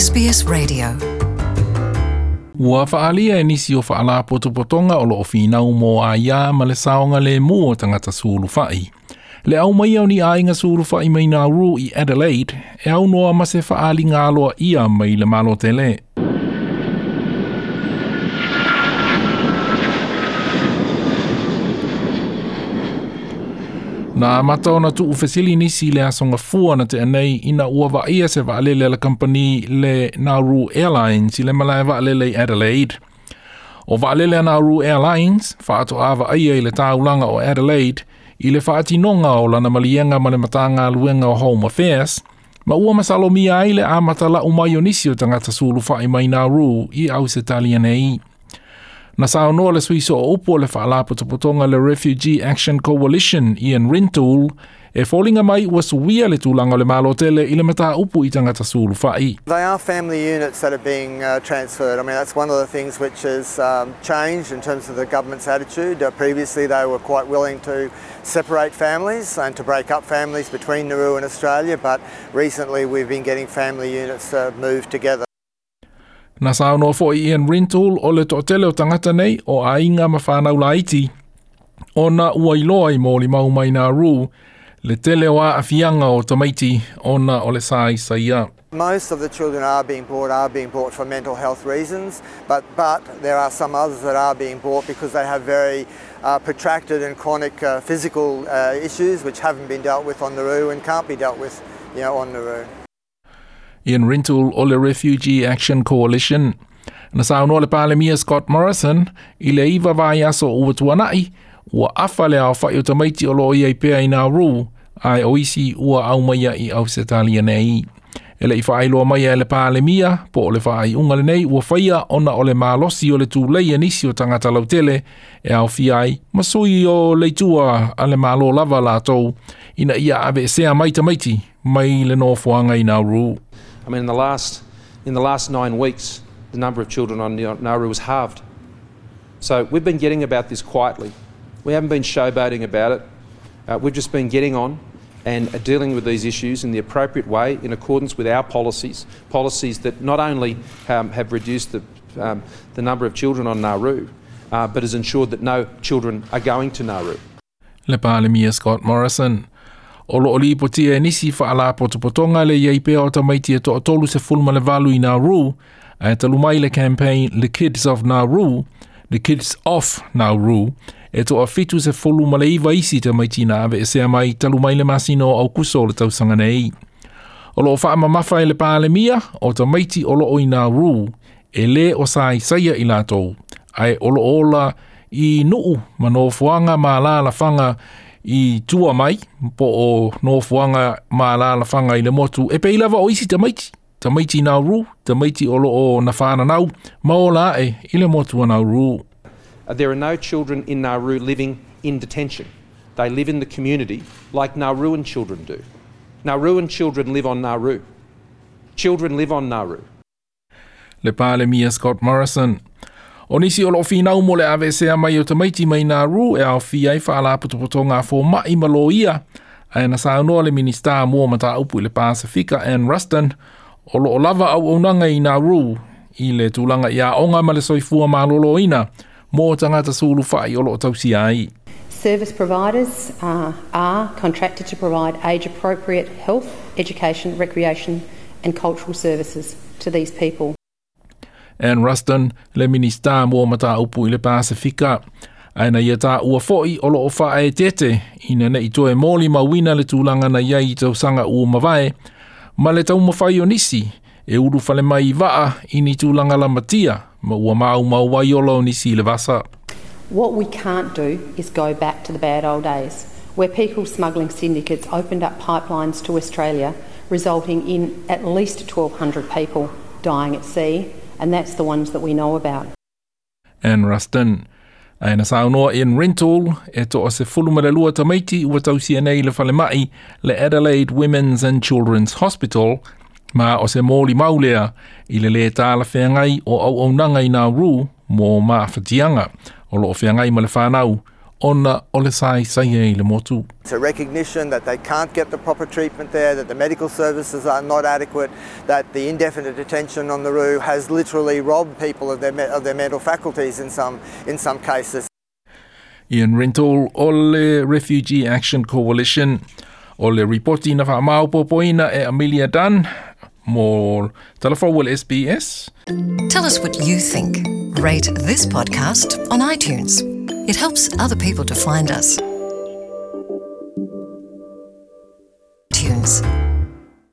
SBS Radio. Ua faaalia e nisi o faalapotopotoga o loo finau mo aiā ma le saogalēmū o tagata sulufai. Le aumaia o ni aiga sulufai mai Nauru i Adelaide e aunoa ma se faaaliga aloaia mai le Malo tele. Na amata ona tuufesili nisi i le aso Gafua na tea nei ina ua vaaia se vaalele a le kamupani le Nauru Airlines i le malae vaalele i Adelaide. O vaalele a Nauru Airlines faatoa vaaia i le taulaga o Adelaide i le faatinoga o lana maliega ma le Matagaluega o Home Affairs, ma ua masalomia ai le amata lau mai o nisi o tagata sulufai mai Nauru i Ausetalia nei. Na saunoa le sui sooupu o le faalapotopotoga le Refugee Action Coalition Ian Rintoul e foliga mai ua suia le tulaga o le Malo tele i le mataupu i tagata sulufai. They are family units that are being transferred. I mean, that's one of the things which has changed in terms of the government's attitude. Previously, they were quite willing to separate families and to break up families between Nauru and Australia, but recently we've been getting family units moved together. Na saunoa foi Ian Rintoul o le toatele o tagata nei o aiga ma fanau laiti ona ua iloa i molimau mai Nauru le tele o aafiaga o tamaiti ona o le saisaia. Most of the children are being brought for mental health reasons, but there are some others that are being brought because they have very protracted and chronic physical issues which haven't been dealt with on Nauru and can't be dealt with on Nauru. Ian Rintoul o le Refugee Action Coalition. Na saunoa le Palemia Scott Morrison i le 9 vaiaso ua tuanai, ua afa le aofai o tamaiti o loo iai pea i Nauru, ae o isi ua aumaia i Ausetalia nei. E le i faailoa mai e le Palemia, po o le faaiuga lenei ua faia ona o le malosi o le tulei e nisi o tagata lautele e aofia ai ma sui o le itua a le Malo lava latou ina ia aveesea mai tamaiti mai le nofoaga i Nauru. I mean, in the last 9 weeks, the number of children on Nauru was halved. So we've been getting about this quietly. We haven't been showboating about it. We've just been getting on and dealing with these issues in the appropriate way in accordance with our policies, policies that not only have reduced the number of children on Nauru, but has ensured that no children are going to Nauru. Le Palemia Scott Morrison. O loo lipotia e nisi faalapotopotoga le iai pea o tamaiti e 38 i Nauru, ae talu mai le campaign The Kids of Nauru, The Kids Off Nauru, e 79 isi tamaiti na aveesea mai talu mai le masina o Aukuso o le tausaga nei. O loo faamamafa e le Palemia o tamaiti o loo i Nauru e lē o saisaia i latou, ae o loo ola i nuu ma nofoaga ma alalafaga i tua mai po o nofoaga ma alalafaga i le motu e pei lava o isi tamaiti. Tamaiti Nauru, tamaiti o loo na whananau, ma ola e i le motu a Nauru. There are no children in Nauru living in detention. They live in the community like Nauruan children do. Nauruan children live on Nauru. Children live on Nauru. Le Palemia Scott Morrison. O nisi o loo finau mo le aveesea mai o tamaiti mai Nauru e aofia ai faalapotopotoga a fomaʻi ma loia, ae na saunoa le Minista mo Mataupu i le Pasifika Anne Ruston o loo lava auaunaga i Nauru i le tulaga i aoga ma le soifua malōlōina mo tagata sulufai o loo tausia ai. Service providers are contracted to provide age appropriate health, education, recreation, and cultural services to these people. Anne Ruston, le Minista mo Mataupu i le Pasifika. Ae na ia taua foi o loo faaeteete ina nei toe molimauina le tulaga na iai i tausaga ua mavae, ma le taumafai o nisi e ulufale mai i vaa i ni tulaga lamatia ma ua maumau ai ola o nisi i le vasa. What we can't do is go back to the bad old days where people smuggling syndicates opened up pipelines to Australia, resulting in at least 1,200 people dying at sea, and that's the ones that we know about. Anne Ruston. Ae na saunoa Ian Rintoul e 12 tamaiti ua tausia nei le falemai le Adelaide Women's and Children's Hospital ma o se molimau lea i le lē talafeagai o auaunaga i Nauru mo maafatiaga o loo feagai ma le fanau Ona o le saisaia i le motu. It's a recognition that they can't get the proper treatment there, that the medical services are not adequate, that the indefinite detention on Nauru has literally robbed people of their, of their mental faculties in some, in some cases. Ian Rintoul o le Refugee Action Coalition o le ripoti na faamaopoopoina e Amelia Dunn mo Talafou le SBS. Tell us what you think. Rate this podcast on iTunes. It helps other people to find us. Tunes.